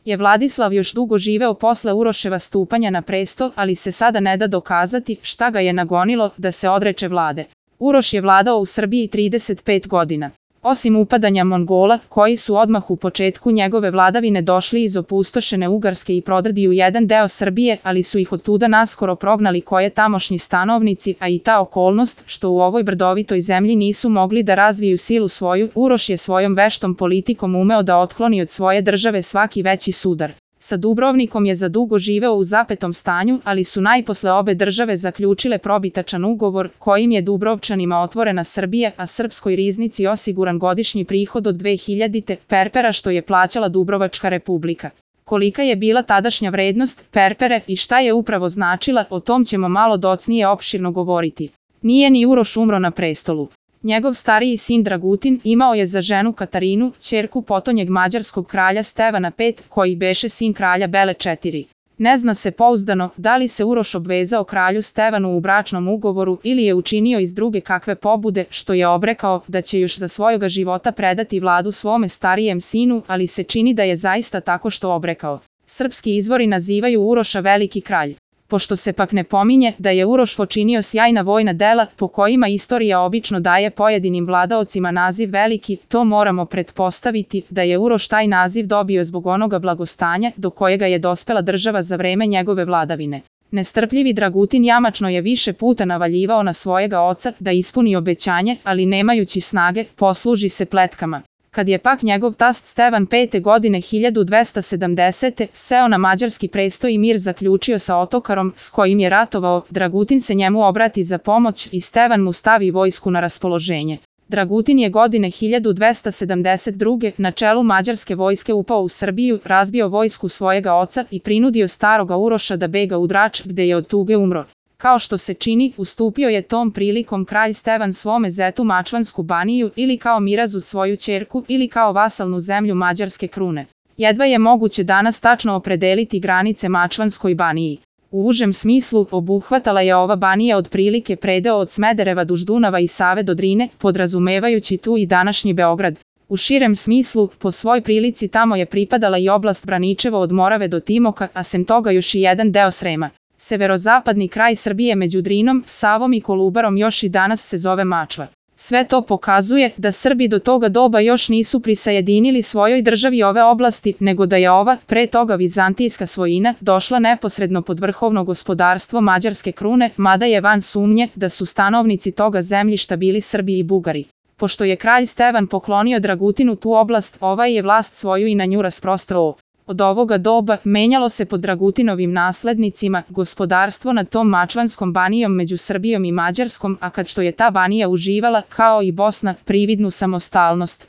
je Vladislav još dugo živeo posle Uroševa stupanja na presto, ali se sada ne da dokazati šta ga je nagonilo da se odreče vlade. Uroš je vladao u Srbiji 35 godina. Osim upadanja Mongola, koji su odmah u početku njegove vladavine došli iz opustošene Ugarske i prodrdi u jedan deo Srbije, ali su ih otuda naskoro prognali koje tamošnji stanovnici, a i ta okolnost što u ovoj brdovitoj zemlji nisu mogli da razviju silu svoju, Uroš je svojom veštom politikom umeo da otkloni od svoje države svaki veći sudar. Sa Dubrovnikom je zadugo živeo u zapetom stanju, ali su najposle obe države zaključile probitačan ugovor kojim je Dubrovčanima otvorena Srbija, a srpskoj riznici osiguran godišnji prihod od 2000 perpera što je plaćala Dubrovačka republika. Kolika je bila tadašnja vrednost perpere i šta je upravo značila, o tom ćemo malo docnije opširno govoriti. Nije ni Uroš umro na prestolu. Njegov stariji sin Dragutin imao je za ženu Katarinu, ćerku potonjeg mađarskog kralja Stevana V, koji beše sin kralja Bele IV. Ne zna se pouzdano da li se Uroš obvezao kralju Stevanu u bračnom ugovoru ili je učinio iz druge kakve pobude, što je obrekao da će još za svojoga života predati vladu svome starijem sinu, ali se čini da je zaista tako što obrekao. Srpski izvori nazivaju Uroša veliki kralj. Pošto se pak ne pominje da je Uroš počinio sjajna vojna dela po kojima istorija obično daje pojedinim vladaocima naziv veliki, to moramo pretpostaviti da je Uroš taj naziv dobio zbog onoga blagostanja do kojega je dospela država za vreme njegove vladavine. Nestrpljivi Dragutin jamačno je više puta navaljivao na svojega oca da ispuni obećanje, ali nemajući snage, posluži se pletkama. Kad je pak njegov tast Stevan V godine 1270. seo na mađarski presto i mir zaključio sa Otokarom s kojim je ratovao, Dragutin se njemu obrati za pomoć i Stevan mu stavi vojsku na raspoloženje. Dragutin je godine 1272. na čelu mađarske vojske upao u Srbiju, razbio vojsku svojega oca i prinudio staroga Uroša da bega u Drač gde je od tuge umro. Kao što se čini, ustupio je tom prilikom kralj Stevan svome zetu Mačvansku baniju ili kao mirazu svoju ćerku ili kao vasalnu zemlju mađarske krune. Jedva je moguće danas tačno opredeliti granice Mačvanskoj baniji. U užem smislu obuhvatala je ova banija otprilike predeo od Smedereva duž Dunava i Save do Drine, podrazumevajući tu i današnji Beograd. U širem smislu, po svoj prilici tamo je pripadala i oblast Braničevo od Morave do Timoka, a sem toga još i jedan deo Srema. Severozapadni kraj Srbije među Drinom, Savom i Kolubarom još i danas se zove Mačva. Sve to pokazuje da Srbi do toga doba još nisu prisajedinili svojoj državi ove oblasti, nego da je ova, pre toga vizantijska svojina, došla neposredno pod vrhovno gospodarstvo mađarske krune, mada je van sumnje da su stanovnici toga zemljišta bili Srbi i Bugari. Pošto je kralj Stevan poklonio Dragutinu tu oblast, ovaj je vlast svoju i na nju rasprostrao. Od ovoga doba menjalo se pod Dragutinovim naslednicima gospodarstvo nad tom Mačvanskom banijom među Srbijom i Mađarskom, a kad što je ta banija uživala, kao i Bosna, prividnu samostalnost.